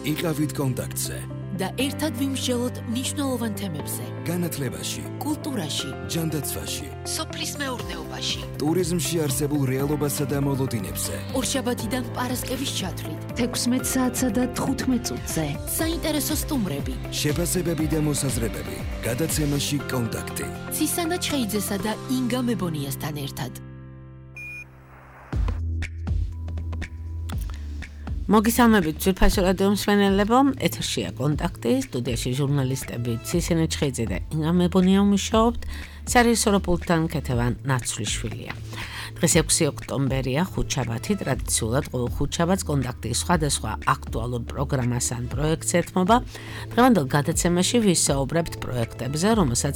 იყავით კონტაქტზე და ერთად ვიმსჯელოთ მნიშვნელოვან თემებზე. განათლებაში, კულტურაში, ჯანდაცვაში, სოფლის მეურნეობაში, ტურიზმში არსებულ რეალობასა და მოლოდინებზე. ორშაბათიდან პარასკევის ჩათვლით, 16 საათსა და 15 წუთზე. საინტერესო სტუმრები, შეფასებები და მოსაზრებები. გადაცემაში კონტაქტი. ცისანა ჩხეიძესა და ინგა მებონიასთან ერთად. მოგესალმებით ძვირფასო რადიო მსმენელებო, ეთერშია კონტაქტი, სტუდიაში ჟურნალისტები ცისანა ჩხეიძე და ინგა მებონია მუშაობთ, სარიესო პულტთან ქეთევან ნაცვლიშვილია. დღეს 6 ოქტომბერია, ხუთშაბათი, ტრადიციულად ყოველ ხუთშაბათს კონტაქტის სხვადასხვა აქტუალურ პროგრამას ან პროექტს ეთმობა. დღევანდელ გადაცემაში ვისაუბრებთ პროექტებზე, რომელსაც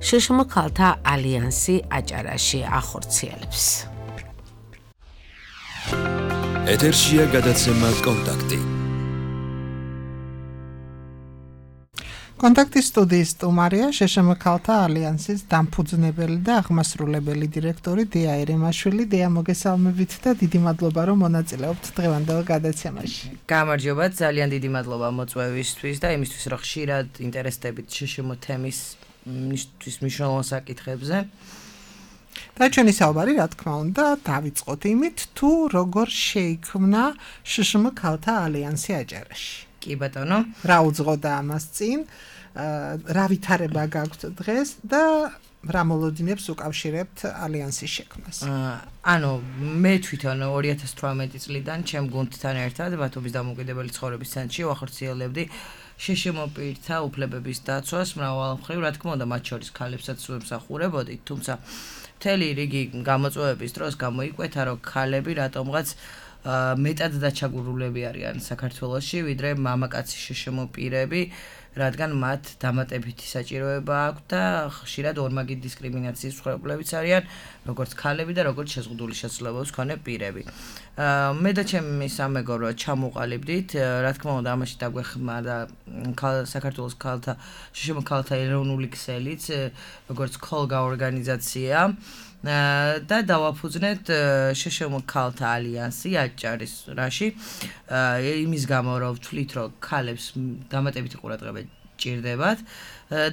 შშმ ქალთა ალიანსი აჭარაში ახორციელებს. ეთერშია გადაცემა კონტაქტი. კონტაქტის სტუდიის სტუმარია შშმ ქალთა ალიანსის დამფუძნებელი და აღმასრულებელი დირექტორი დია ერიმაშვილი. დია, მოგესალმებით და დიდი მადლობა რომ მონაწილეობთ დღევანდელ გადაცემაში. გამარჯობა, ძალიან დიდი მადლობა მოწვევისთვის და იმისთვის რომ ხშირად ინტერესდებით შშმ თემის მნიშვნელოვან საკითხებზე. და ჩვენი საუბარი, რა თქმა უნდა, დავიწყოთ იმით, თუ როგორ შეიქმნა შშმ ქალთა ალიანსი აჭარაში. კი ბატონო, რა უძღოდა ამას წინ, რა ვითარება გაქვთ დღეს და რა მოლოდინებს უკავშირებთ ალიანსის შექმნას. ანუ მე თვითონ 2018 წლიდან ჩემ გუნდთან ერთად ბათუმის დამოუკიდებელი ცხოვრების ცენტრში ვახორციელებდი შშმ პირთა უფლებების დაცვას მრავალ მხრივ, რა თქმა უნდა, მათ შორის ქალებსაც ვემსახურებოდი, თუმცა მთელი რიგი გამოწვევების დროს გამოიკვეთა, რომ ქალები რატომღაც მეტად დაჩაგურულები არიან საქართველოში, ვიდრე მამაკაცი შშმ პირები, რადგან მათ დამატებითი საჭიროება აქვს და ხშირად ორმაგი დისკრიმინაციის მსხვერპლებიც არიან, როგორც ქალები და როგორც შეზღუდული შესაძლებლობის მქონე პირები. მე და ჩემი სამეგობრო ჩამოყალიბდით, რა თქმა უნდა, ამაში დაგვეხმარა საქართველოს ქალთა შშმ ქალთა ეროვნული ქსელიც, როგორც ქოლგა ორგანიზაცია. და დავაფუძნეთ შშმ ქალთა ალიანსი აჭარის რაში, იმის გამო რომ ვთვლით, რომ ქალებს დამატებითი ყურადღება ჭირდებათ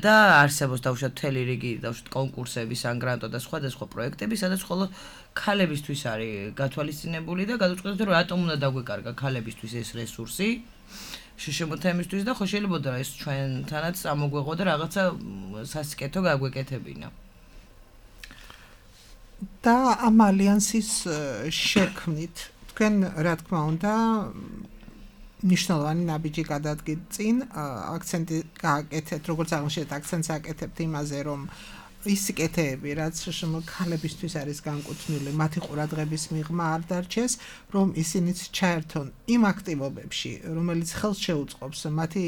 და არსებობს დავუშვათ მთელი რიგი კონკურსების ან გრანტო და სხვადასხვა პროექტები, სადაც მხოლოდ ქალებისთვის არის გათვალისწინებული და გადავწყვეტეთ, რომ რატომ უნდა დაგვეკარგა ქალებისთვის ეს რესურსი შშმ თემისთვის და ხო შეიძლება ეს ჩვენთანაც ამოგვეღო და რაღაცა სასიკეთო გაგვეკეთებინა. და ამ ალიანსის შექმნით თქვენ, რა თქმა უნდა, მნიშვნელოვანი ნაბიჯი გადადგით წინ, აქცენტი გააკეთეთ, როგორც აღნიშნეთ, აქცენტს აკეთებთ იმაზე, რომ ის სიკეთეები, რაც შშმ ქალებისთვის არის განკუთვნილი, მათი ყურადღების მიღმა არ დარჩეს, რომ ისინიც ჩაერთონ იმ აქტივობებში, რომელიც ხელს შეუწყობს მათი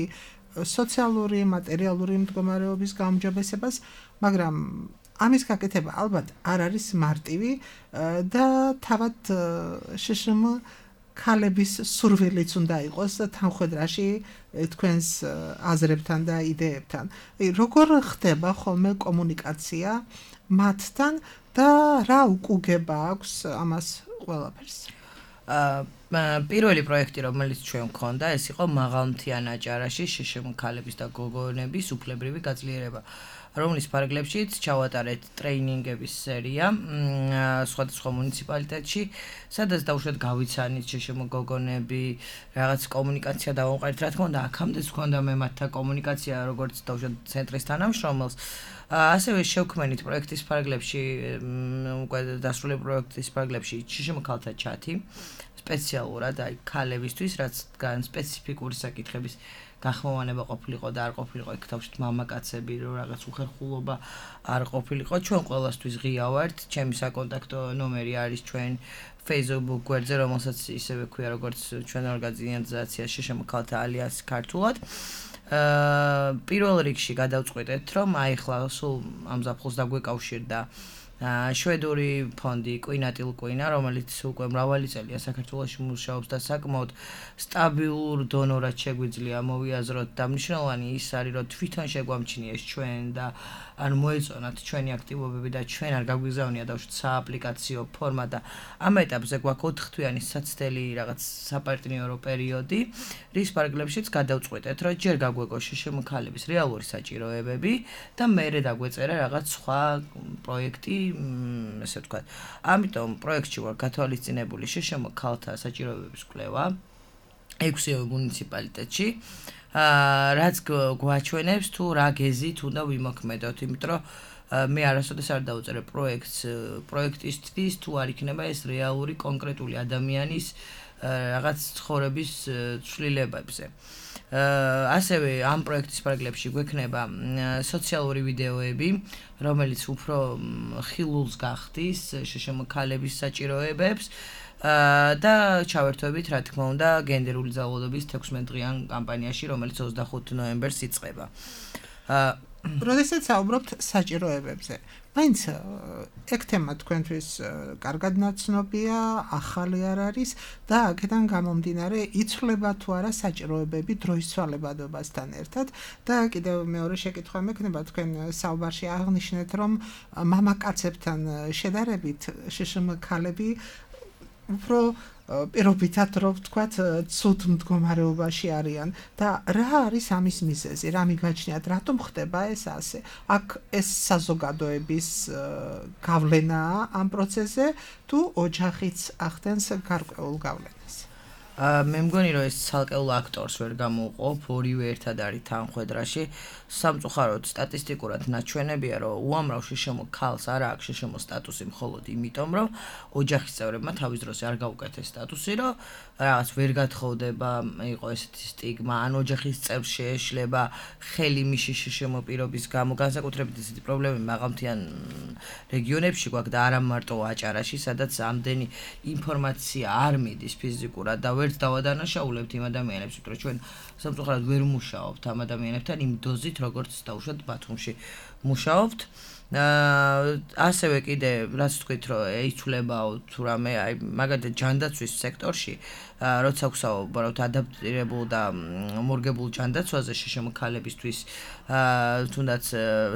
სოციალური, მატერიალური მდგომარეობის გაუმჯობესებას, მაგრამ ამის გაკეთება ალბათ არ არის მარტივი და თავად შშმ ქალების სურვილიც უნდა იყოს თანხმედრაში თქვენს აზრებთან და იდეებთან. როგორ ხდება ხოლმე კომუნიკაცია მათთან და რა უკუგება აქვს ამას ყველაფერს? პირველი პროექტი, რომელიც ჩვენ გვქონდა, ეს იყო მაღალმთიან აჭარაში შშმ ქალების და გოგონების უფლებრივი გაძლიერება, რომლის ფარგლებშიც ჩავატარეთ ტრეინინგების სერია სხვადასხვა მუნიციპალიტეტში, სადაც დავუშვათ გავიცანით შშმ გოგონები, რაღაც კომუნიკაცია დავამყარეთ, რა თქმა უნდა, აქამდეც გვქონდა მე მათთან კომუნიკაცია, როგორც დავუშვათ ცენტრის თანამშრომელს. ასევე შევქმნით პროექტის ფარგლებში, უკვე დასრულებული პროექტის ფარგლებში შშმ ქალთა ჩათი, სპეციალურად აი ქალებისთვის, რაც სპეციფიკური საკითხების გახმოვანება ყოფილიყო და არ ყოფილიყო, იქ თავშეთ მამაკაცები, რომ რაღაც უხერხულობა არ ყოფილიყო. ჩვენ ყველასთვის ღია ვართ, ჩემი საკონტაქტო ნომერი არის ჩვენ Facebook გვერდზე, რომელსაც ისევე ქვია, როგორც ჩვენ ორგანიზაცია შშმ ქალთა ალიანსი ქართულად. პირველ რიგში გადავწყვეტეთ, რომ აი ხლა სულ ამ ზაფხულს დაგვეკავშირდა შვედური ფონდი კვინატილ კვინა, რომელიც უკვე მრავალი წელია საქართველოში მუშაობს და საკმაოდ სტაბილურ დონორად შეგვიძლია მოვიაზროთ და მნიშვნელოვანი ის არის, რომ თვითონ შეგვამჩნიეს ჩვენ და ან მოეწონათ ჩვენი აქტივობები და ჩვენ არ გაგვიგზავნია დავშოთ სააპლიკაციო ფორმა და ამ ეტაპზე გვაქვს 4 თვიანი საცდელი რაღაც საპარტნიორო პერიოდი, რის პარაგრაფშიც გადავწყვეტეთ, რომ ჯერ გაგვეგო შშმ-ქალების რეალური საჭიროებები და მერე დაგვეწერა რაღაც სხვა პროექტი, ესე ვთქვათ. ამიტომ პროექტში ვარ გათვალისწინებული შშმ-ქალთა საჭიროებების კვლევა 6 მუნიციპალიტეტში. რაც გვაჩვენებს თუ რა გეზით უნდა ვიმოქმედოთ, იმიტომ რომ მე არასოდეს არ დავწერე პროექტისთვის თუ არ იქნება ეს რეალური კონკრეტული ადამიანის რაღაც ცხოვრების ცვლილებებზე. ასევე ამ პროექტის პარალელში გვექნება სოციალური ვიდეოები, რომელიც უფრო ხილულს გახდის შშმ-ქალების საჭიროებებს და ჩავერთვებით, რა თქმა უნდა, გენდერული ძალადობის 16 დღიან კამპანიაში, რომელიც 25 ნოემბერს იწყება. როდესაც საუბრობთ საჭიროებებზე, მაინც ეგ თემა თქვენთვის კარგად ნაცნობია, ახალი არ არის და აქედან გამომდინარე იცვლება თუ არა საჭიროებები დროის ცვალებადობასთან ერთად და კიდევ მეორე შეკითხვა მექნება, თქვენ საუბარში აღნიშნეთ, რომ მამაკაცებთან შედარებით შშმ-ქალები უფრო პირობითად რომ ვთქვათ ცუდ მდგომარეობაში არიან და რა არის ამის მიზეზი, რა მიგაჩნიათ, რატომ ხდება ეს ასე? აქ ეს საზოგადოების გავლენაა ამ პროცესზე თუ ოჯახიც ახდენს გარკვეულ გავლენას? მე მგონი რომ ეს ცალკეულ აქტორს ვერ გამოვყოფ, ორივე ერთად არის თანხვედრაში. სამწუხაროდ სტატისტიკურად ნაჩვენებია, რომ უამრავ შშმ-ქალს არ აქვს შშმ სტატუსი მხოლოდ იმიტომ, რომ ოჯახის წევრებმა თავის დროს არ გაუკეთეს სტატუსი, რომ რაღაც ვერ გათხოვდება, იყო ესეთი სტიგმა, ან ოჯახის წევრს შეეშლება ხელი მიში შშმ პირობის გამო, განსაკუთრებით ესეთი პრობლემები მაღალმთიან რეგიონებში გვაქვს და არა მარტო აჭარაში, სადაც ამდენი ინფორმაცია არ მიდის ფიზიკურად და ვერც დავადანაშაულებთ იმ ადამიანებს, რომ ჩვენ სამწუხაროდ ვერ მუშაობთ ამ ადამიანებთან იმ დოზით, როგორც დაუშვათ ბათუმში მუშაობთ. ასევე კიდე რაც თქვით, რომ იცვლებაო თუ რამე, აი მაგალითად ჯანდაცვის სექტორში, როცა ვსაუბრობთ ადაპტირებულ და მორგებულ ჯანდაცვაზე შშმ-ქალებისთვის, თუნდაც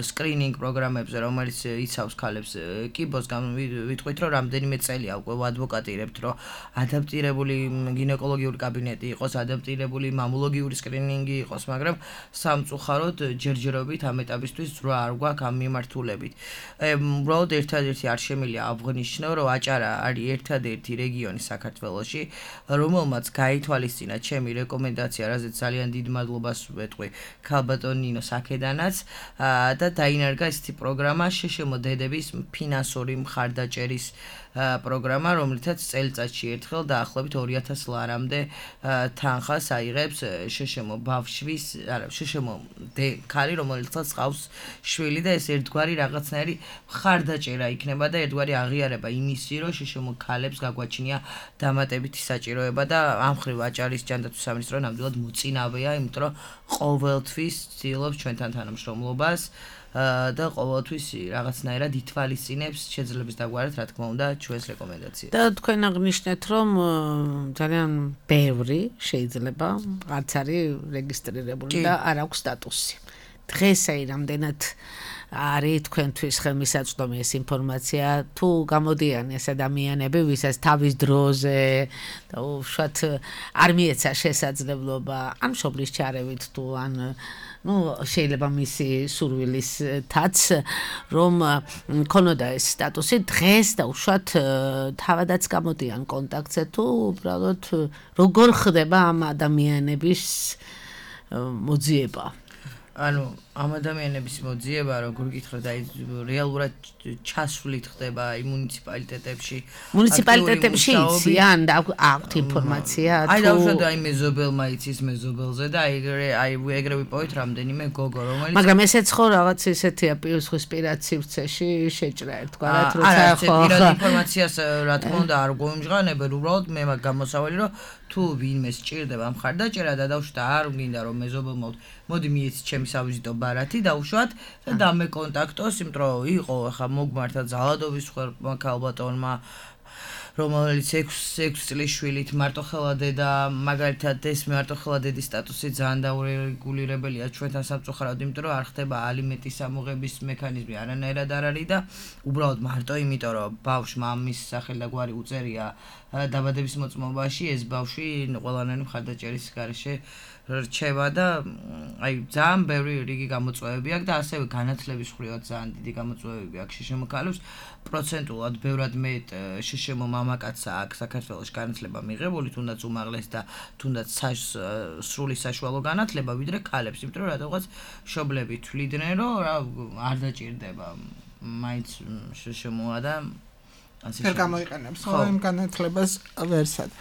სკრინინგ პროგრამებზე, რომელიც იცავს ქალებს კიბოს, ვიტყვით, რომ რამდენიმე წელია უკვე ვადვოკატირებთ, რომ ადაპტირებული გინეკოლოგიური კაბინეტი იყოს, ადაპტირებული მამულოგიური სკრინინგი იყოს, მაგრამ სამწუხაროდ ჯერჯერობით ამ ეტაპისთვის ზრა არ გვაქვს ამ მიმართულებით. უბრალოდ ერთადერთი არ შემიძლია აღვნიშნო, რომ აჭარა არის ერთადერთი რეგიონი საქართველოში, რომელმაც გაითვალისწინა ჩემი რეკომენდაცია, რაზეც ძალიან დიდ მადლობას ვეტყვი ქალბატონ ნინოს აქედანაც და დაინერგა ესეთი პროგრამა შშმ-დედების ფინანსური მხარდაჭერის პროგრამა, რომლითაც წელიწადში ერთხელ დაახლოებით 2000 ლარამდე თანხას აიღებს შშმ-ბავშვის, არა, შშმ-ქალი, რომელსაც ყავს შვილი და ეს ერთგვარი რაღაცნაირი მხარდაჭერა იქნება და ერთგვარი აღიარება იმისი, რომ შშმ-ქალებს გაგვაჩნია დამატებითი საჭიროება და ამ მხრივ აჭარის ჯანდაცვის სამინისტრო ნამდვილად მოწინავეა, იმიტომ რომ ყოველთვის ცდილობს ჩვენთან თანამშრომლობას და ყოველთვის რაღაცნაირად ითვალისწინებს შეძლებს დაგვარად, რა თქმა უნდა, ჩვენს რეკომენდაციებს. და თქვენ აღნიშნეთ, რომ ძალიან ბევრი შეიძლება არც არის რეგისტრირებული და არ აქვს სტატუსი. დღეს აი რამდენად არის თქვენთვის ხელმისაწვდომი ეს ინფორმაცია, თუ გამოდიან ეს ადამიანები, ვისაც თავის დროზე და უშუალოდ არ მიეცა შესაძლებლობა ან მშობლის ჩარევით თუ ან შეიძლება მისი სურვილისთაც, რომ ქონოდა ეს სტატუსი დღეს და უშუალოდ თავადაც გამოდიან კონტაქტზე, თუ უბრალოდ როგორ ხდება ამ ადამიანების მოძიება? ანუ ამ ადამიანების მოძიება, როგორ გითხრათ, აი რეალურად ჩასვლით ხდება იმ მუნიციპალიტეტებში. მუნიციპალიტეტებში იციან და აქვთ ინფორმაცია თუ აი დავუშვათ, აი მეზობელმა იცის მეზობელზე და აი ეგრე ვიპოვეთ რამდენიმე გოგო, რომელიც მაგრამ ესეც ხო რაღაც ისეთია პირისპირად სივრცეში შეჭრა ერთგვარად, როცა ხო ინფორმაციას რა თქმა უნდა არ გვიმჟღანებენ, უბრალოდ მე მაგ გამოსავალი, რომ თუ ვინმე სჭირდება მხარდაჭერა და დავუშვათ არ გინდა რომ მეზობელმა მოდი მიეცი ჩემი სავიზიტო ბარათი დავუშვათ და დამეკონტაქტოს, იმიტომ რომ იყო ახლა მოგმართა ძალადობის ხერხმა ქალბატონმა რომელიც 6 წლის შვილით მარტოხელა დედა მაგალითად ეს მარტოხელა დედის სტატუსი ძალიან დაურეგულირებელია ჩვენთან სამწუხაროდ, იმიტომ რომ არ ხდება ალიმენტის ამოღების მექანიზმი არანაირად არ არის და უბრალოდ მარტო იმიტომ რომ ბავშვმა მამის სახელი და გვარი უწერია დაბადების მოწმობაში, ეს ბავშვი ყველანაირი მხარდაჭერის გარეშე რჩება და აი ძალიან ბევრი რიგი გამოწვევები აქვს და ასევე განათლების მხრივაც ძალიან დიდი გამოწვევები აქვს შშმ ქალებს პროცენტულად ბევრად მეტ შშმ მამაკაცსა აქვს საქართველოს განათლება მიღებული, თუნდაც უმაღლეს და თუნდაც სრული საშუალო განათლება ვიდრე ქალებს, იმიტომ რომ რატომღაც მშობლები თვლიდნენ რომ არ დაჭირდება მაინც შშმ-ა და ვერ გამოიყენებს იმ განათლებას ვერსად.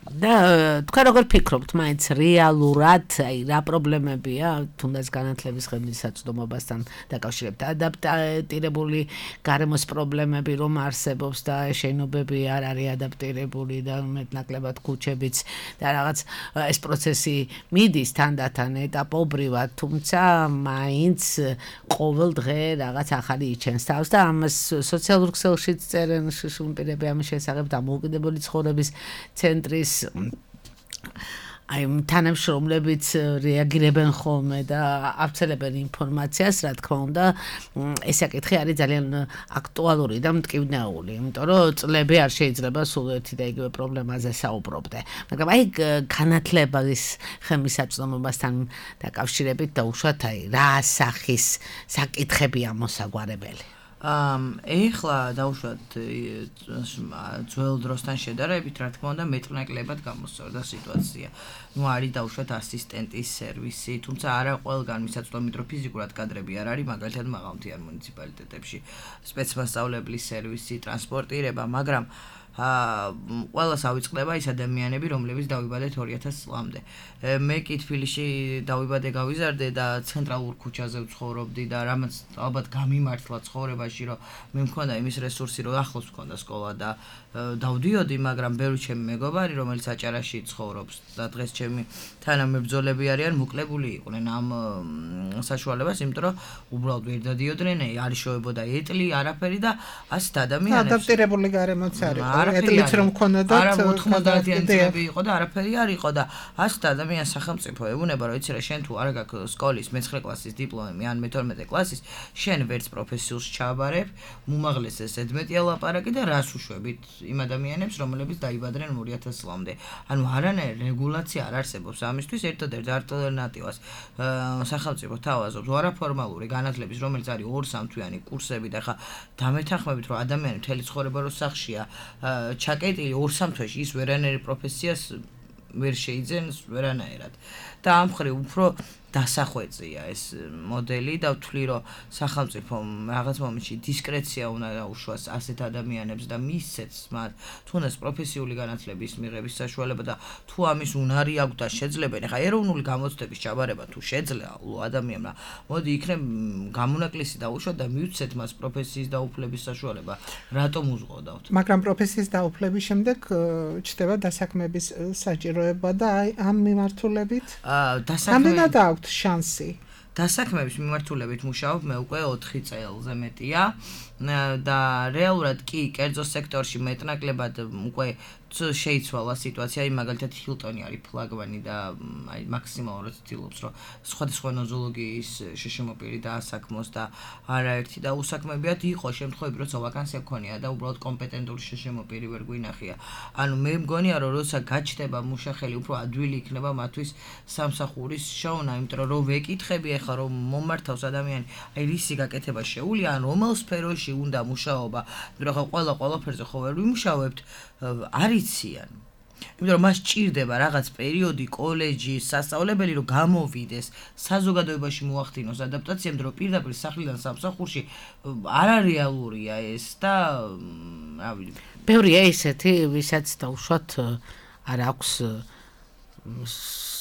და თქვენ როგორ ფიქრობთ, მაინც რეალურად აი რა პრობლემებია თუნდაც განათლების ხელმისაწვდომობასთან დაკავშირებით? ადაპტირებული გარემოს პრობლემები რომ არსებობს და შენობები არ არის ადაპტირებული და მეტნაკლებად ქუჩებიც და რაღაც ეს პროცესი მიდის თანდათან ეტაპობრივად, თუმცა მაინც ყოველ დღე რაღაც ახალი იჩენს თავს და ამას სოციალურ ქსელშიც წერენ შშმ პირები ამის შესახებ დამოუკიდებელი ცხოვრების ცენტრის აი თანამშრომლებიც რეაგირებენ ხოლმე და აფცელებენ ინფორმაციას, რა თქმა უნდა, ეს საკითხი არის ძალიან აქტუალური და მტკივნეული, იმიტომ რომ წლები არ შეიძლება სულ ერთი და იგივე პრობლემაზე საუბრობდე. მაგრამ აი განათლების ხელმისაწვდომობასთან დაკავშირებით დაუშვათ აი რა სახის საკითხებია მოსაგვარებელი? ეხლა დავუშვათ ძველ დროსთან შედარებით, რა თქმა უნდა, მეტნაკლებად გამოსწორდა სიტუაცია. არის დავუშვათ ასისტენტის სერვისი, თუმცა არა ყველგან მისაწვდომით რომ ფიზიკურად კადრები არ არის, მაგალითად მაღალმთიან მუნიციპალიტეტებში სპეცმასწავლებლის სერვისი, ტრანსპორტირება, მაგრამ ყველას ავიწყდება ის ადამიანები, რომლებიც დავიბადეთ 2000 წლამდე. მე კი თბილისში დავიბადე, გავიზარდე და ცენტრალურ ქუჩაზე ვცხოვრობდი და რამაც ალბათ გამიმართლა ცხოვრებაში, რომ მე მქონდა იმის რესურსი, რომ ახლოს მქონდა სკოლა და დავდიოდი, მაგრამ ბევრი ჩემი მეგობარი, რომელიც აჭარაში ცხოვრობს და დღეს ჩემი თანამებრძოლები არიან, მოკლებული იყვნენ ამ საშუალებას, იმიტომ რომ უბრალოდ ვერ დადიოდნენ, არ იშოვებოდა ეტლი, არაფერი და ასეთ ადამიანებს ადაპტირებული გარემოც არის. ეტლიც რომ მქონოდა არა 90-იანი წლები იყო და არაფერი არ იყო და ასეთ ადამიანს სახელმწიფო ეუბნება, რომ იცი რა, შენ თუ არ გაქვს სკოლის მე-9 კლასის დიპლომი ან მე-12 კლასის, შენ ვერც პროფესიულს ჩააბარებ, უმაღლეს ეს 11 ლაპარაკი და რას უშვებით იმ ადამიანებს, რომლებიც დაიბადნენ 2000 წლამდე. ანუ არანაირი რეგულაცია არ არსებობს ამისთვის, ერთადერთ ალტერნატივას სახელმწიფო თავაზობს არაფორმალური განათლების, რომელიც არის 2-3 თვიანი კურსები და ხა დამეთანხმებით, რომ ადამიანი მთელი ცხოვრება რო სახლშია ჩაკეტილი 2-3 თვეში ის ვერანაირი პროფესიას ვერ შეიძენს ვერანაირად. და ამ მხრივ უფრო დასახვეწია ეს მოდელი და ვთვლი რომ სახელმწიფო რაღაც მომენტში დისკრეცია უნდა დაუშვას ასეთ ადამიანებს და მისცეს მათ თუნდაც პროფესიული განათლების მიღების საშუალება და თუ ამის უნარი აქვს და შეძლებენ, ეხა ეროვნული გამოცდების ჩაბარება თუ შეძლია ადამიანმა, მოდი იქნებ გამონაკლისი დაუშვათ და მივცეთ მას პროფესიის დაუფლების საშუალება. რატომ უზღოდავთ? მაგრამ პროფესიის დაუფლების შემდეგ ჩდება დასაქმების საჭიროება და აი ამ მიმართულებით რამდენად აქვს შანსი? დასაქმების მიმართულებით მუშაობ მე უკვე 4 წელზე მეტია და რეალურად კი კერძო სექტორში მეტნაკლებად უკვე შეიცვალა სიტუაცია, მაგალითად ჰილტონი არის ფლაგმანი და აი მაქსიმალურად ცდილობს რომ სხვადასხვა ნოზოლოგიის შშმ-პირი დაასაქმოს და არაერთი და უსაქმებიათ იყო შემთხვევები, როცა ვაკანსია გქონია და უბრალოდ კომპეტენტური შშმ-პირი ვერ გვინახია. ანუ მე მგონია რომ როცა გაჩნდება მუშახელი, უფრო ადვილი იქნება მათთვის სამსახურის შოვნა, იმიტომ რომ ვეკითხები ახლა რომ მომართავს ადამიანი, აი რისი გაკეთება შეუძლია, ან რომელ სფეროში უნდა მუშაობა, მაგრამ ხო ყველაფერზე ხო ვერ ვიმუშავებთ, არიციან. იმიტომ რომ მას ჭირდება რაღაც პერიოდი კოლეჯი, სასწავლებელი რომ გამოვიდეს, საზოგადოებაში მოახდინოს ადაპტაცია, იმიტომ რომ პირდაპირ სახლიდან სამსახურში არარეალურია ეს და რა ვიცი. ბევრია ისეთი, ვისაც დაუშვათ არ აქვს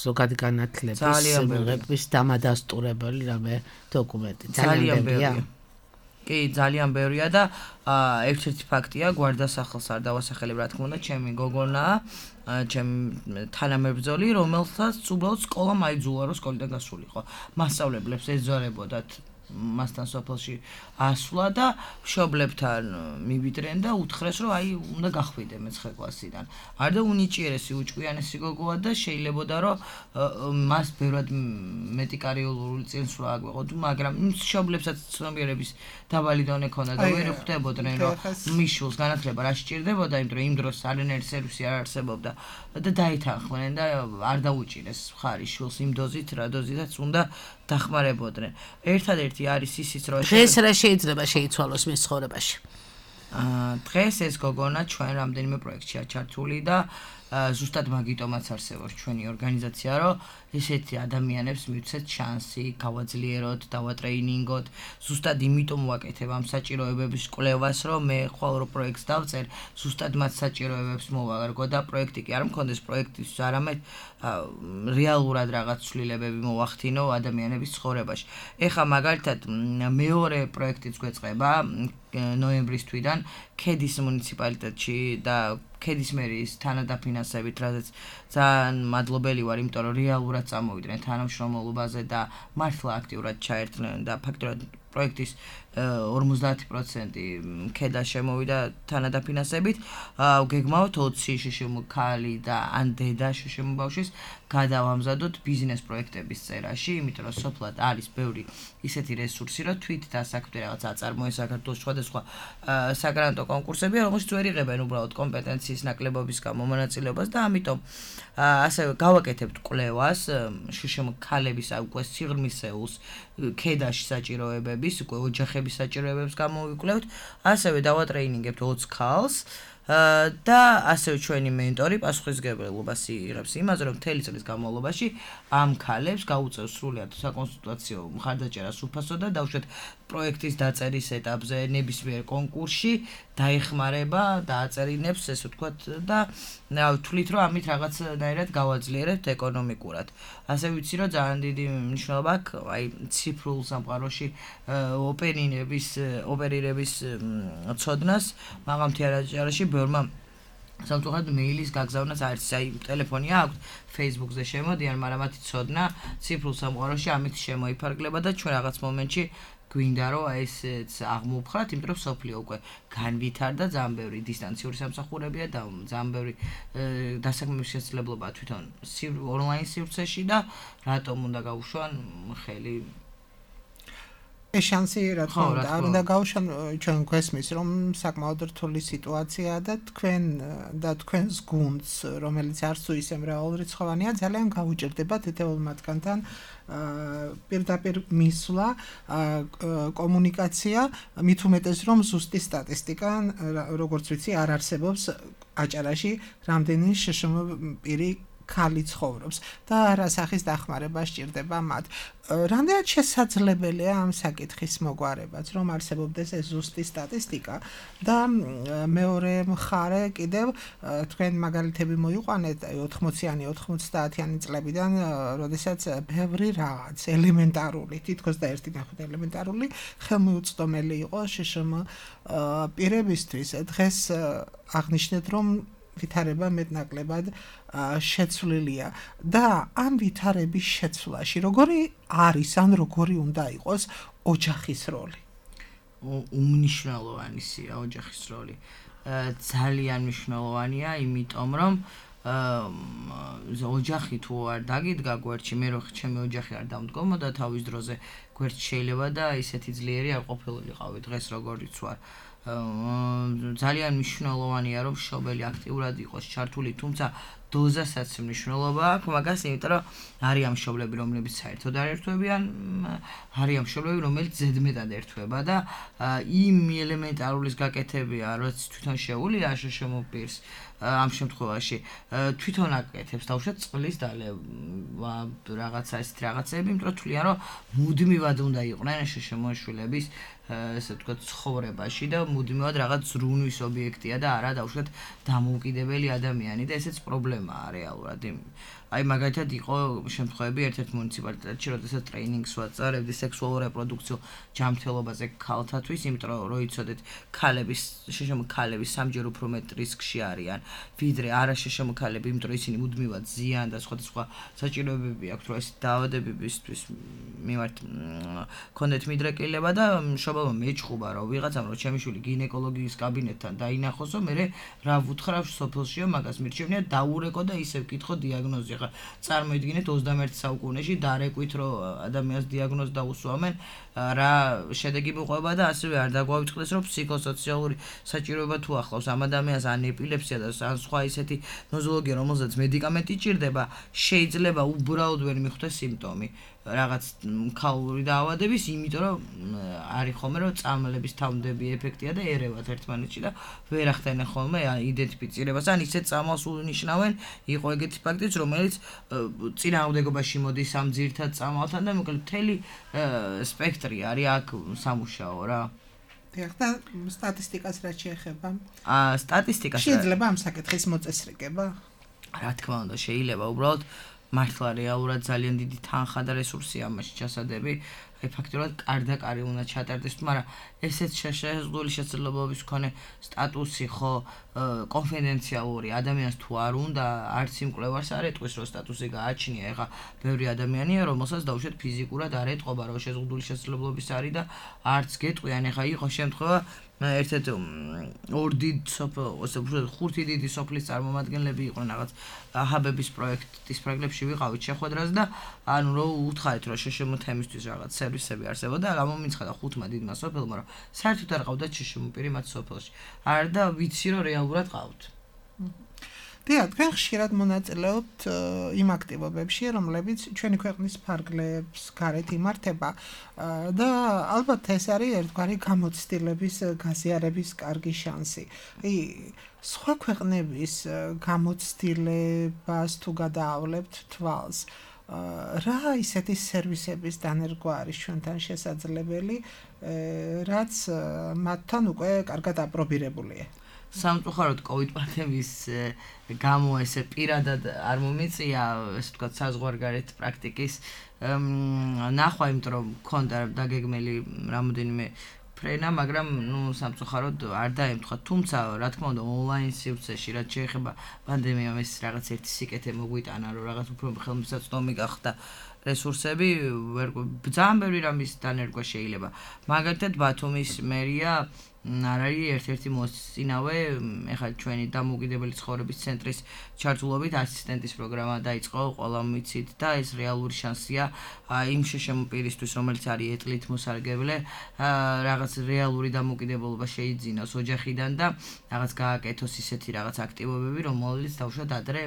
ზოგადი განათლების მიღების დამადასტურებელი რამე დოკუმენტი. ძალიან ბევრია. კი ძალიან ბევრია და ერთ-ერთი ფაქტია გვარდასახლს არ დავასახელებ რა თქმა უნდა ჩემი გოგონა ჩემი თანამებრძოლი რომელსაც უბრალოდ სკოლა მაიძულა რომ სკოლიდან გასულიყო მასწავლებლებს ეძვარებოდათ მასთან სოფელში ასვლა და მშობლებთან მივიდნენ და უთხრეს რომ აი უნდა გახვიდე მე-9 კლასიდან. არ და უნიჭიერესი უჭკვიანესი გოგოა და შეიძლებოდა რომ მას ბევრად მეტი კარიერული წინსვლა აგვეყოთ, მაგრამ მშობლებსაც ცნობიერების დაბალი დონე ქონდა და ვერ ხვდებოდნენ რომ მიშულს განათლება რა სჭირდებოდა, იმიტომ რომ იმ დროს არანაირი სერვისი არ არსებობდა და დაითანხმდნენ და არ დაუჭირეს მხარი შულს იმ დოზით, რა დოზითაც უნდა დახმარებოდნენ. ერთადერთი არის ისიც რომ დღეს რა შეიძლება შეიცვალოს მის ცხოვრებაში? დღეს ეს გოგონა ჩვენ რამდენიმე პროექტშია ჩართული და ზუსტად მაგიტომაც არსებობს ჩვენი ორგანიზაცია, რომ ესეთი ადამიანებს მივცეთ შანსი, გავაძლიეროთ, დავატრეინინგოთ. ზუსტად იმიტომ ვაკეთებ ამ საჭიროებების კვლევას, რომ მე ხვალ რო პროექტს დავწერ, ზუსტად მათ საჭიროებებს მოვაგრგო და პროექტი კი არ მქონდეს პროექტისთვის, არამედ რეალურად რაღაც ცვლილებები მოვახდინო ადამიანების ცხოვრებაში. ეხლა მაგალითად მეორე პროექტიც გვეწყება ნოემბრის თვიდან ქედის მუნიციპალიტეტში და ქედის მერის თანადაფინანსებით, რადგან ძალიან მადლობელი ვარ, იმიტომ რომ რეალურად წამოვიდნენ თანამშრომლობაზე და მართლა აქტიურად ჩაერთნენ და ფაქტობრივად პროექტის 50% ქედა შემოვიდა თანადაფინანსებით. გეგმავთ 20 შშმ ქალი და ან დედა შშმ ბავშვის გადავამზადოთ ბიზნეს პროექტების წერაში, იმიტომ რომ სოფლად არის ბევრი ისეთი რესურსი, რომ თვით დასაქმდა რაღაც აწარმოეს საქართველოს სხვადასხვა საგრანტო კონკურსები, რომელშიც ვერ იღებენ უბრალოდ კომპეტენციის ნაკლებობის გამო მონაწილეობას და ამიტომ ასევე გავაკეთებთ კვლევას შშმ ქალების უკვე სიღრმისეულს ქედაში საჭიროებების, უკვე ოჯახების საჭიროებებს გამოვიკვლევთ, ასევე დავატრეინინგებთ 20 ქალს და ასევე ჩვენი მენტორი პასუხისმგებლობას იღებს იმაზე, რომ მთელი წლის განმავლობაში ამ ქალებს გაუწევს სრულად საკონსულტაციო მხარდაჭერას უფასო და დავუშვათ პროექტის დაწერის ეტაპზე ნებისმიერ კონკურსში დაეხმარება და აწერინებს, ესე ვთქვათ, და ვთვლით, რომ ამით რაღაცნაირად გავაძლიერებთ ეკონომიკურად. ასე ვიცი, რომ ძალიან დიდი მნიშვნელობა აქვს აი ციფრულ სამყაროში ოპერირების ცოდნას, მაგრამ თეატრში ბევრმა სამწუხაროდ მეილის გაგზავნას არის, აი ტელეფონი აქვს, Facebook-ზე შემოდიან, მაგრამ მათი ცოდნა ციფრულ სამყაროში ამით შემოიფარგლება და ჩვენ რაღაც მომენტში გვინდა რომ ესეც აღმოვხვრათ, იმიტომ რომ სოფლიო უკვე განვითარდა, ძალიან ბევრი დისტანციური სამსახურებია და ძალიან ბევრი დასაქმების შესაძლებლობაა თვითონ ონლაინ სივრცეში და რატომ უნდა გაუშვან ხელი ეს შანსი რა თქმა უნდა არ უნდა გავუშვან ჩვენ გვესმის რომ საკმაოდ რთული სიტუაციაა და თქვენს გუნდს რომელიც არც თუ ისე მრავალრიცხოვანია ძალიან გაუჭირდება თითოეულ მათგანთან პირდაპირ მისვლა კომუნიკაცია მით უმეტეს რომ ზუსტი სტატისტიკა როგორც ვიცი არ არსებობს აჭარაში რამდენი შშმ პირი ქალი ცხოვრობს და რა სახის დახმარება სჭირდება მათ. რამდენად შესაძლებელია ამ საკითხის მოგვარებაც, რომ არსებობდეს ეს ზუსტი სტატისტიკა და მეორე მხარე კიდევ თქვენ მაგალითები მოიყვანეთ 80-იანი, 90-იანი წლებიდან, როდესაც ბევრი რაღაც ელემენტარული, თითქოს და ერთი ნახოთ ელემენტარული ხელმიუწვდომელი იყო შშმ პირებისთვის. დღეს აღნიშნეთ, რომ ვითარება მეტნაკლებად შეცვლილია და ამ ვითარების შეცვლაში როგორი არის ან როგორი უნდა იყოს ოჯახის როლი? უმნიშვნელოვანია ოჯახის როლი. ძალიან მნიშვნელოვანია, იმიტომ რომ ოჯახი თუ არ დაგიდგა გვერდში, მე რო ჩემი ოჯახი არ დამდგომოდა თავის დროზე გვერდში შეიძლება და ისეთი ძლიერი არ ყოფილიყავი დღეს როგორიც ვარ. ძალიან მნიშვნელოვანია რომ მშობელი აქტიურად იყოს ჩართული, თუმცა დოზასაც მნიშვნელობა აქვს მაგას, იმიტომ რომ არიან მშობლები, რომლებიც საერთოდ არ ერთვებიან, არიან მშობლები, რომელიც ზედმეტად ერთვება და იმ ელემენტარულის გაკეთებია, რაც თვითონ შეუულია შშმ პირს ამ შემთხვევაში თვითონ აკეთებს თავშეთ წყლის რაღაცა ესეთ რაღაცები, იმიტომ რომ თვლიან რომ მუდმივად უნდა იყვნენ შშმ-შვილების ესე ვთქვათ ცხოვრებაში და მუდმივად რაღაც ზრუნვის ობიექტია და არა დაუშვათ დამოუკიდებელი ადამიანი და ესეც პრობლემაა რეალურად. აი მაგალითად იყო შემთხვევები ერთ-ერთ მუნიციპალიტეტში, როდესაც ტრეინინგს ვაწარებდი სექსუალურ რეპროდუქციულ ჯანმრთელობაზე ქალთათვის, იმიტომ რომ იცოდეთ, შშმ-ქალები სამჯერ უფრო მეტ რისკში არიან, ვიდრე არაშშმ-ქალები, იმიტომ რომ ისინი მუდმივად ზიან და სხვადასხვა საჭიროებები აქვთ, რომ ეს დაავადებებისთვის მიმართ კონდეთ მიდრეკილება და მშობელმა მეჭხუბა, რომ ვიღაცამ რომ ჩემი შვილი გინეკოლოგიის კაბინეტთან დაინახოსო, მე რა ვუთხრა სოფელშიო მაგას მირჩევნია დაურეკო და ისევ კითხო დიაგნოზი. ხა წარმოიდგინეთ 21 საუკუნეში დარეკვით რომ ადამიანს დიაგნოზი დაუსვამენ, რა შედეგი მოყვება და ასევე არ დაგვავიწყდეს რომ ფსიქოსოციალური საჭიროება თუ ახლავს ამ ადამიანს ან ეპილეფსია და ან სხვა ისეთი ნოზოლოგია, რომელზეც მედიკამენტი ჭირდება, შეიძლება უბრალოდ ვერ მიხვდეს სიმპტომი რაღაც ქალური დაავადების, იმიტომ რომ არის ხოლმე რომ წამლების თავმდები ეფექტია და ერევათ ერთმანეთში და ვერ ახდენენ ხოლმე იდენტიფიცირებას, ან ისეთ წამალს უნიშნავენ, იყო ეგეთი ფაქტიც, რომელიც წინააღმდეგობაში მოდის ამ ძირითად წამალთან და მოკლედ მთელი სპექტრი არის აქ სამუშაო რა. და სტატისტიკას რაც შეეხება? სტატისტიკას შეიძლება ამ საკითხის მოწესრიგება? რა თქმა უნდა, შეიძლება უბრალოდ მართლა რეალურად ძალიან დიდი თანხა და რესურსია ამაში ჩასადები. აი ფაქტობრივად კარდაკარი უნდა ჩატარდეს, მაგრამ ესეც შეზღუდული შესაძლებლობების მქონე სტატუსი ხო კონფიდენციალური ადამიანს თუ არ უნდა, არც იმ კვლევარს არ ეტყვის რომ სტატუსი გააჩნია. ეხლა ბევრი ადამიანია, რომელსაც დაუშვათ ფიზიკურად არ ეტყობა რომ შეზღუდული შესაძლებლობის არის და არც გეტყვიან. ეხლა იყო შემთხვევა ერთ-ერთ ხუთი დიდი სოფლის წარმომადგენლები იყვნენ რაღაც ჰაბების პროექტის პროგრამებში ვიყავით შეხვედრას და ანუ რომ უთხარით რომ შშმ თემისთვის რაღაც სერვისები არსებობდა, გამომიცხადა ხუთმა დიდმა სოფელმა რომ საერთოდ არ ყავდათ შშმ პირი მათ სოფელში. არ და ვიცი რომ რეალურად ყავთ. თქვენ ხშირად მონაწილეობთ იმ აქტივობებში, რომლებიც ჩვენი ქვეყნის ფარგლებს გარეთ იმართება და ალბათ ეს არის ერთგვარი გამოცდილების გაზიარების კარგი შანსი. სხვა ქვეყნების გამოცდილებას თუ გადაავლებთ თვალს, რა ისეთი სერვისების დანერგვა არის ჩვენთან შესაძლებელი, რაც მათთან უკვე კარგად აპრობირებულია? სამწუხაროდ COVID პანდემიის გამო ესე პირადად არ მომიწია, ესე ვთქვათ, საზღვარგარეთ პრაქტიკის ნახვა, იმიტომ რომ მქონდა დაგეგმილი რამოდენიმე ფრენა, მაგრამ სამწუხაროდ არ დაემთხვა. თუმცა, რა თქმა უნდა, ონლაინ სივრცეში, რაც შეეხება პანდემიამ, ეს რაღაც ერთი სიკეთე მოგვიტანა, რომ რაღაც უფრო ხელმისაწვდომი გახდა რესურსები, ძალიან ბევრი რამის დანერგვა შეიძლება. მაგალითად, ბათუმის მერია არ არის ერთ-ერთი მოსწინავე, ეხლა ჩვენი დამოუკიდებელი ცხოვრების ცენტრის ჩართულობით ასისტენტის პროგრამა დაიწყო, ყველამ ვიცით და ეს რეალური შანსია იმ შშმ პირისთვის, რომელიც არის ეტლით მოსარგებლე, რაღაც რეალური დამოუკიდებლობა შეიძინოს ოჯახიდან და რაღაც გააკეთოს ისეთი რაღაც აქტივობები, რომელიც თავშოთ ადრე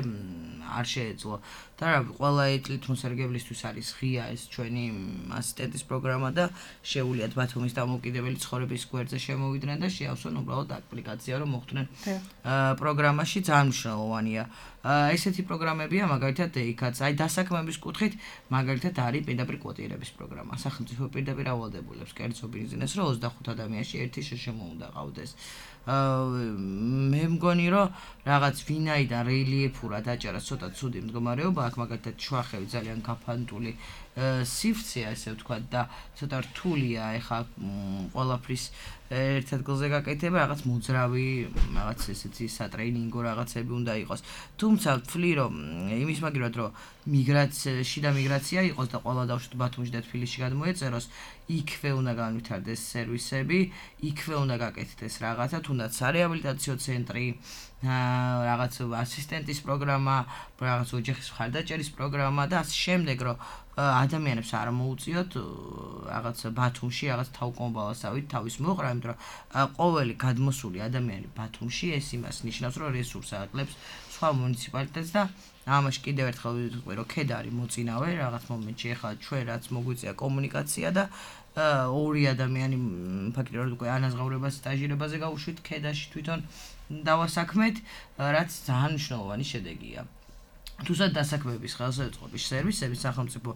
არ შეეძლო. და ყველა ეტლით მოსარგებლისთვის არის ღია ეს ჩვენი ასისტენტის პროგრამა და შეუვლიათ ბათუმის დამოუკიდებელი ცხოვრების გვერდზე შემოვიდნენ და შეავსონ უბრალოდ აპლიკაცია, რომ მოხვდნენ პროგრამაში. ძალიან მნიშვნელოვანია. ესეთი პროგრამებია, მაგალითად იქაც, აი დასაქმების კუთხით, მაგალითად არის პირდაპირ კვოტირების პროგრამა. სახელმწიფო პირდაპირ ავალდებულებს კერძო ბიზნესს, რომ 25 ადამიანში ერთი შშმ უნდა ყავდეს. მე მგონი რომ რაღაც ვინაიდან რელიეფურად აჭარა ცოტა ცუდი მდგომარეობა აქ, მაგალითად შუახევი ძალიან გაფანტული სივრცეა, ესე ვთქვათ, და ცოტა რთულია ეხა ყველაფრის ერთ ადგილზე გაკეთება, რაღაც მოძრავი, რაღაც ესეთი სატრეინინგო რაღაცები უნდა იყოს. თუმცა ვთვლი რომ იმის მაგივრად რომ შიდა მიგრაცია იყოს და ყველა დავშვათ ბათუმში და თბილისში გადმოეწეროს, იქვე უნდა განვითარდეს სერვისები, იქვე უნდა გაკეთდეს რაღაცა, თუნდაც სარეაბილიტაციო ცენტრი, რაღაც ასისტენტის პროგრამა, რაღაც ოჯახის მხარდაჭერის პროგრამა და ასე შემდეგ, რომ ადამიანებს არ მოუწიოთ რაღაც ბათუმში რაღაც თავკომბალასავით თავის მოყრა, იმიტომ რომ ყოველი გადმოსული ადამიანი ბათუმში ეს იმას ნიშნავს, რომ რესურსს აკლებს სხვა მუნიციპალიტეტს და ამაში კიდევ ერთხელ ვიტყვი, რომ ქედა არის მოწინავე რაღაც მომენტში, ეხლა ჩვენ რაც მოგვიწია კომუნიკაცია და ორი ადამიანი ფაქტობრივად უკვე ანაზღაურებას სტაჟირებაზე გავუშვით ქედაში თვითონ დავასაქმეთ, რაც ძალიან მნიშვნელოვანი შედეგია. თუსაც დასაქმების ხელშეწყობის სერვისების სახელმწიფო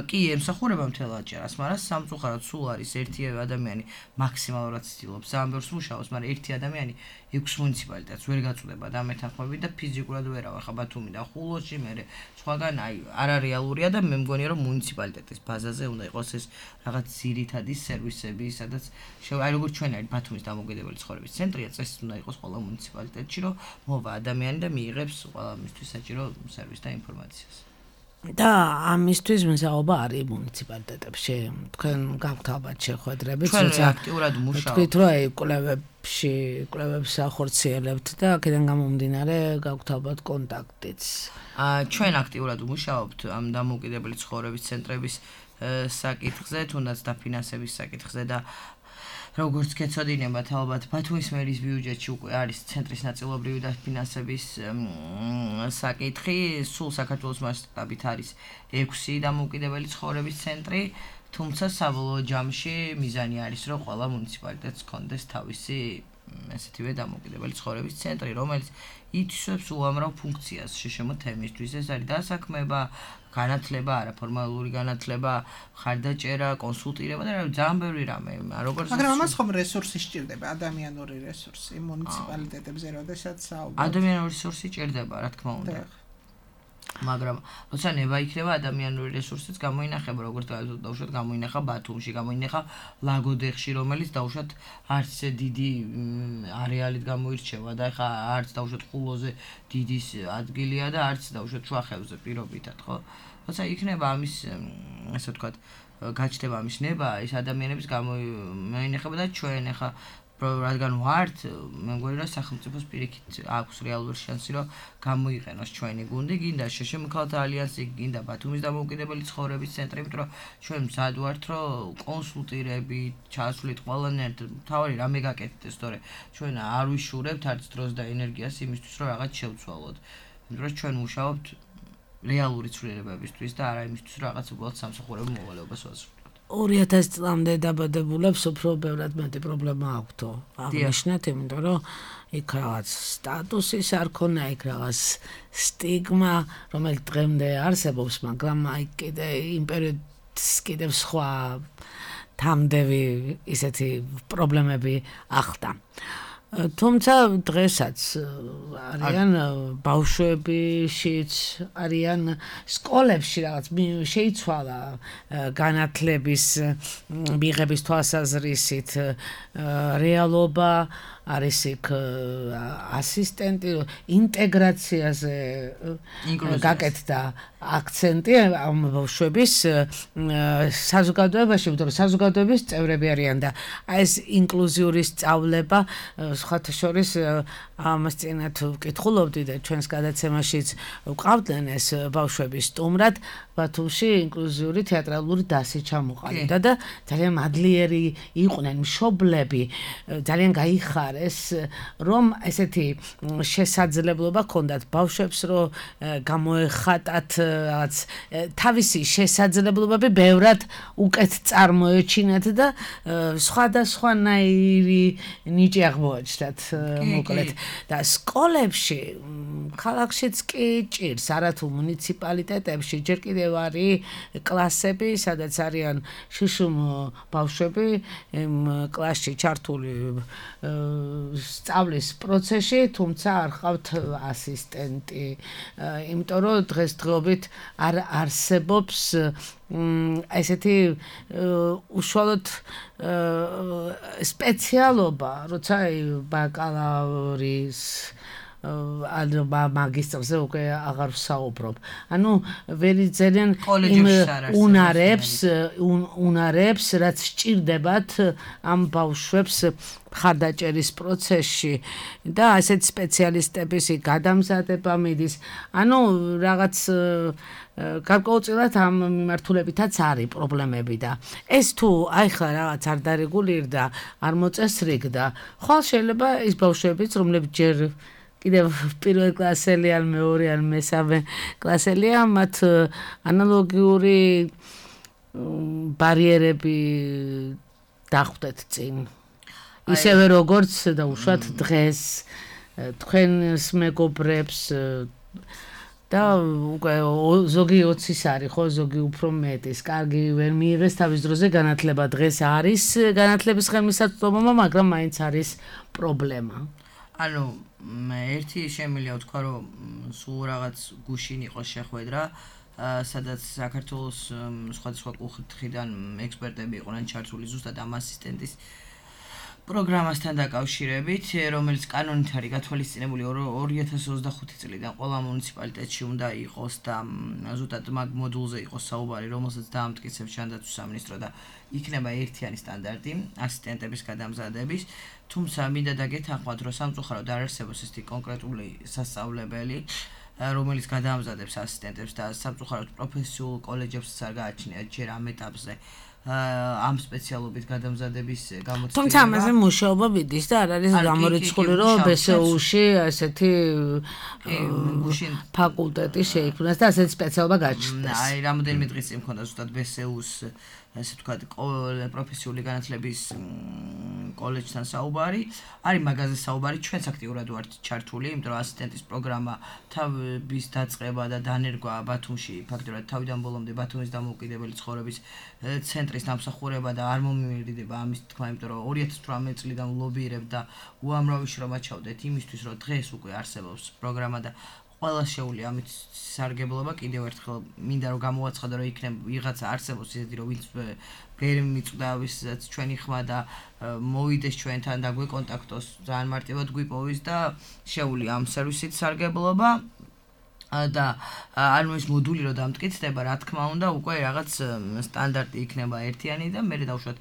კი ემსახურება მთელ აჭარას, მაგრამ სამწუხაროდ სულ არის ერთი ადამიანი მაქსიმალურად ცდილობს ამ ბევრს მუშაობს, მაგრამ ერთი ადამიანი 6 მუნიციპალიტეტს ვერ გაწუდება და მეთანხმებით და ფიზიკურად ვერავარ ხა ბათუმი და ხულოში მე სხვაგან არარეალურია და მე მგონია რომ მუნიციპალიტეტის ბაზაზე უნდა იყოს ეს რაღაც ძირითადი სერვისები, სადაც აი როგორც ჩვენ არის ბათუმის დამოუკიდებელი ცხოვრების ცენტრია, წესით უნდა იყოს ყველა მუნიციპალიტეტში, რომ მოვა ადამიანი და მიიღებს ყველა მისთვის საჭირო სერვისს და ინფორმაციას. და ამისთვის მზაობა არის მუნიციპალიტეტებში. თქვენ გაქვთ ალბათ შეხვედრები, თუმცა აქტიურად მუშაობთ. თქვით რომ აი კვლევებს ახორციელებთ და აქედან გამომდინარე გაქვთ ალბათ კონტაქტიც. ჩვენ აქტიურად მუშაობთ ამ დამოუკიდებელი ცხოვრების ცენტრების საკითხზე, თუნდაც დაფინანსების საკითხზე და როგორც გეცოდინებათ ალბათ ბათუმის მერის ბიუჯეტში უკვე არის ცენტრის ნაწილობრივი დაფინანსების საკითხი, სულ საქართველოს მასშტაბით არის 6 დამოუკიდებელი ცხოვრების ცენტრი, თუმცა საბოლოო ჯამში მიზანი არის რომ ყველა მუნიციპალიტეტს ჰქონდეს თავისი ესეთივე დამოუკიდებელი ცხოვრების ცენტრი, რომელიც ითვისებს უამრავ ფუნქციას შშმ თემისთვის. ეს არის დასაქმება, განათლება, არაფორმალური განათლება, ხარდაჭერა, კონსულტირება და ძალიან ბევრი რამე. მაგრამ ამას ხომ რესურსი სჭირდება, ადამიანური რესურსი მუნიციპალიტეტებზე, როდესაც საუბრობთ. ადამიანური რესურსი სჭირდება, რა თქმა უნდა. მაგრამ როცა ნება იქნება ადამიანური რესურსიც გამოინახება, როგორც დავუშვათ გამოინახა ბათუმში, გამოინახა ლაგოდეხში, რომელიც დავუშვათ არც ისე დიდი არეალით გამოირჩევა და ხა არც დავუშვათ ხულოზე დიდი ადგილია და არც დავუშვათ შუახევზე პირობითად, ხო? როცა იქნება ამის ასე ვთქვათ, გაჩნდება ამის ნება, ის ადამიანების გამოინახება და ჩვენ ხა რადგან ვართ, მე მგონი რომ სახელმწიფოს პირიქით აქვს რეალური შანსი რომ გამოიყენოს ჩვენი გუნდი, გინდა შშმ ქალთა ალიანსი, გინდა ბათუმის დამოუკიდებელი ცხოვრების ცენტრი, იმიტომ რომ ჩვენ მზად ვართ რომ კონსულტირებით, ჩასვლით ყველანაირად თავი რამე გაკეთდეს, თორე ჩვენ არ ვიშურებთ არც დროს და ენერგიას იმისთვის რომ რაღაც შევცვალოთ. იმიტომ რომ ჩვენ მუშაობთ რეალური ცვლილებებისთვის და არა იმისთვის რომ რაღაც უბრალოდ სამსახურებო მოვალეობას ვაზრდოთ. 2000 წლამდე დაბადებულებს უფრო ბევრად მეტი პრობლემა აქვთო. აღნიშნეთ, იმიტომ რომ იქ რაღაც სტატუსის არ ქონა, იქ რაღაც სტიგმა, რომელიც დღემდე არსებობს, მაგრამ აი კიდე იმ პერიოდს კიდევ სხვა თამდევი ისეთი პრობლემები ახდა. თუმცა დღესაც არიან ბავშვებშიც, არიან სკოლებში რაღაც შეიცვალა განათლების მიღების თვალსაზრისით რეალობა, არის იქ ასისტენტი, ინტეგრაციაზე გაკეთდა აქცენტი ამ ბავშვების საზოგადოებაში, იმიტომ რომ საზოგადოების წევრები არიან და ეს ინკლუზიური სწავლება სხვათა შორის ამას წინათ ვკითხულობდი და ჩვენს გადაცემაშიც ვყავდნენ ეს ბავშვები სტუმრად, ბათუმში ინკლუზიური თეატრალური დასი ჩამოყალიბდა და ძალიან მადლიერი იყვნენ, მშობლები, ძალიან გაიხარეს, რომ ესეთი შესაძლებლობა ჰქონდათ ბავშვებს, რომ გამოეხატათ რაღაც თავისი შესაძლებლობები ბევრად უკეთ წარმოეჩინათ და სხვადასხვანაირი ნიჭი აღმოაჩნდათ მოკლედ და სკოლებში ქალაქშიც კი ჭირს, არათუ მუნიციპალიტეტებში ჯერ კიდევ არის კლასები, სადაც არიან შშმ ბავშვები კლასში ჩართული სწავლის პროცესში, თუმცა არ ყავთ ასისტენტი, იმიტომ რომ დღესდღეობით არ არსებობს ესეთი უშუალოდ სპეციალობა, როცა ბაკალავრის ანუ მაგისტრზე უკვე აღარ ვსაუბრობ. ანუ ვერ იძენენ იმ უნარებს, რაც სჭირდებათ ამ ბავშვებს ხარდაჭერის პროცესში და ასეთ სპეციალისტების გადამზადება მიდის. ანუ რაღაც გარკვეულწილად ამ მიმართულებითაც არის პრობლემები და ეს თუ ახლა რაღაც არ დარეგულირდა, არ მოწესრიგდა, ხვალ შეიძლება ის ბავშვებიც, რომლებიც ჯერ კიდევ პირველ კლასელი ან მეორე ან მესამე კლასელია, მათ ანალოგიური ბარიერები დახვდეთ წინ. ისევე როგორც და უშუალოდ დღეს თქვენს მეგობრებს და უკვე ზოგი 20-ის არის, ხო, ზოგი უფრო მეტის. კარგი ვერ მიიღეს თავის დროზე განათლება. დღეს არის განათლების ხელმისაწვდომობა, მაგრამ მაინც არის პრობლემა. ანუ ერთი შემიძლია ვთქვა, რომ სულ რაღაც გუშინ იყოს შეხვედრა, სადაც საქართველოს სხვადასხვა კუთხიდან ექსპერტები იყვნენ ჩართული ზუსტად ამ ასისტენტის პროგრამასთან დაკავშირებით, რომელიც კანონით არის გათვალისწინებული 2025 წლიდან ყველა მუნიციპალიტეტში უნდა იყოს და ზუსტად მაგ მოდულზე იყოს საუბარი, რომელსაც დაამტკიცებს ჯანდაცვის სამინისტრო და იქნება ერთიანი სტანდარტი ასისტენტების გადამზადების. თუმცა მინდა დაგეთანხმოთ, რომ სამწუხაროდ არ არსებობს ესეთი კონკრეტული სასწავლებელი, რომელიც გადაამზადებს ასისტენტებს და სამწუხაროდ პროფესიულ კოლეჯებსაც არ გააჩნიათ ჯერ ამ ეტაპზე ამ სპეციალობით გადამზადების გამოცდილება. თუმცა ამაზე მუშაობა მიდის და არ არის გამორიცხული, რომ BSU-ში ესეთი ფაკულტეტი შეიქმნას და ასეთი სპეციალობა გაჩნდეს. აი, რამოდენიმე დღის წინ მქონდა ზუსტად BSU-ს ესე ვთქვათ, პროფესიული განათლების კოლეჯთან საუბარი. არის მაგაზე საუბარი, ჩვენც აქტიურად ვართ ჩართული, იმიტომ რომ ასისტენტის პროგრამა თავის დაწყება და დანერგვა ბათუმში, ფაქტობრივად თავიდან ბოლომდე ბათუმის დამოუკიდებელი ცხოვრების ცენტრის დამსახურება და არ მომიმეორდება ამის თქმა, იმიტომ რომ 2018 წლიდან ვლობირებ და უამრავი შრომა ჩავდეთ იმისთვის, რომ დღეს უკვე არსებობს პროგრამა და ყველა შეუძლია ამით სარგებლობა. კიდევ ერთხელ მინდა რომ გამოვაცხადო, რომ იქნება ვიღაცა არსებობს ისეთი, რომ ვინც ვერ მიწვდა ვისაც ჩვენი ხმა და მოვიდეს ჩვენთან და გვეკონტაქტოს, ძალიან მარტივად გვიპოვის და შეუძლია ამ სერვისით სარგებლობა. და ანუ ეს მოდული რო დამტკიცდება, რა თქმა უნდა, უკვე რაღაც სტანდარტი იქნება ერთიანი და მე დავუშვათ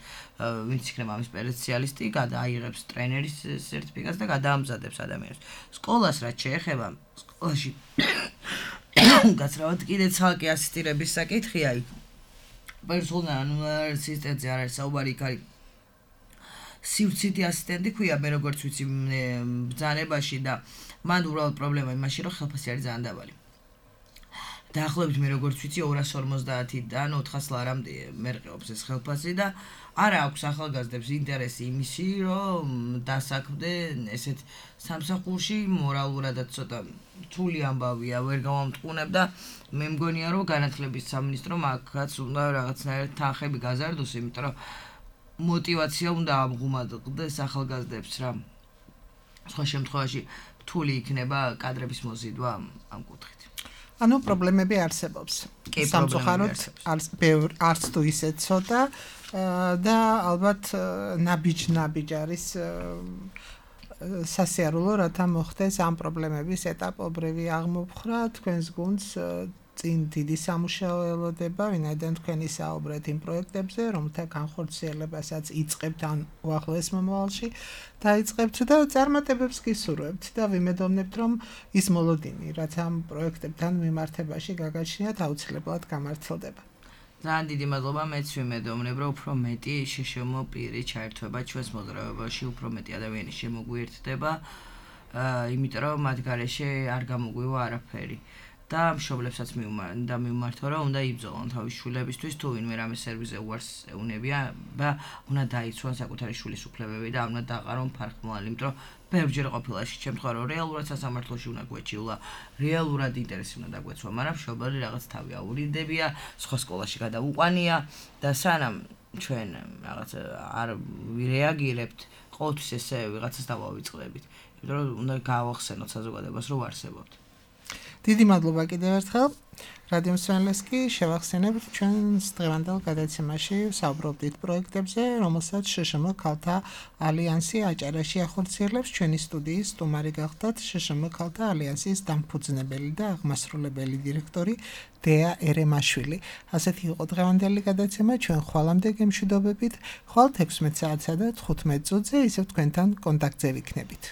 ვინც იქნება ამის სპეციალისტი, გადააიღებს ტრენერის სერტიფიკატს და გადაამზადებს ადამიანს. სკოლას რაც შეეხება, სკოლაში გაცრავად კიდე ცალკე ასისტირების საკითხია. პერსონალ ასისტენტზე არ არის საუბარი, იქ არის სივრცითი ასისტენტი ქვია, მე როგორც ვიცი ბრძანებაში და მან უბრალოდ პრობლემა იმაში, რომ ხელფასი არის ძალიან დაბალი. დაახლოებით მე როგორც ვიცი 250-დან 400 ლარამდე მერყეობს ეს ხელფასი და არა აქვს ახალგაზრდებს ინტერესი იმისი, რომ დასაქმდნენ ესეთ სამსახურში, მორალურადაც ცოტა რთული ამბავია, ვერ გავამტყუნებ და მე მგონია, რომ განათლების სამინისტრო მაგაც უნდა რაღაცნაირად თანხები გაზარდოს, იმიტომ რომ мотивация უნდა ამღუმადყდეს ახალგაზრდებს რა. სხვა შემთხვევაში რთული იქნება კადრების მოზიდვა ამ კუთხით. ანუ პრობლემები არსებობს. სამწუხაროდ არც თუ ისე ცოტა და ალბათ ნაბიჯ არის სასიარულო, რათა მოხდეს ამ პრობლემების ეტაპობრივი აღმოფხრა. თქვენს გუნდს წინ დიდი სამუშაო ელოდება, ვინაიდან თქვენი საუბრეთ იმ პროექტებზე, რომელთა განხორციელებასაც იწყებთ ან უახლოეს მომავალში დაიწყებთ და წარმატებებს გისურვებთ და ვიმედოვნებთ, რომ ის მოლოდინი, რაც ამ პროექტებთან მიმართებაში გაგაჩნიათ, აუცილებლად გამართლდება. ძალიან დიდი მადლობა, მეც ვიმედოვნებ, რომ უფრო მეტი შეშემო პირი ჩაერთვება ჩვენს მოძრაობაში, უფრო მეტი ადამიანი შემოგვიერთდება, იმიტომ რომ მათ გარეშე არ გამოგვივა არაფერი. და მშობლებსაც მივმართო, რომ უნდა იბრძოლონ თავის შვილებისთვის, თუ ვინმე რამე სერვისზე უარს ეუნებია და უნდა დაიცვან საკუთარი შვილის უფლებები და უნდა დაყარონ ფარხმოვანი, იმიტომ რომ ბევრჯერ ყოფილა ეს შემთხვევა, რომ რეალურად სასამართლოში უნდა გვეჭილა, რეალურად ინტერესი უნდა დაგვეცვა, მაგრამ მშობელი რაღაც თავი აურიდებია, სხვა სკოლაში გადაუყვანია და სანამ ჩვენ რაღაც არ ვირეაგირებთ, ყოველთვის ესე ვიღაცას დავავიწყდებით, იმიტომ რომ უნდა გავახსენოთ საზოგადოებას, რომ ვარსებობთ. დიდი მადლობა კიდევ ერთხელ. რადიო მსმენელს კი შევახსენებთ ჩვენს დღევანდელ გადაცემაში საუბრობდით პროექტებზე, რომელსაც შშმ ქალთა ალიანსი აჭარაში ახორციელებს. ჩვენი სტუდიის სტუმარი გახდათ შშმ ქალთა ალიანსის დამფუძნებელი და აღმასრულებელი დირექტორი დეა ერემაშვილი. ასეთი იყო დღევანდელი გადაცემა. ჩვენ ხვალამდე გემშვიდობებით. ხვალ 16 საათსა და 15 წუთზე ისევ თქვენთან კონტაქტზე ვიქნებით.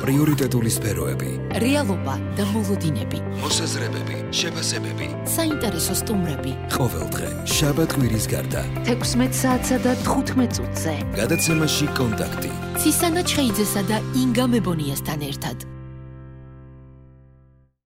პრიორიტეტული სფეროები, რეალობა და მოლოდინები, მოსაზრებები, შეფასებები, საინტერესო სტუმრები. ყოველდღე შაბათ-კვირის გარდა 16 საათსა და 15 წუთზე. გადაცემაში კონტაქტი. ცისანა ჩხეიძესა და ინგა მებონიასთან ერთად.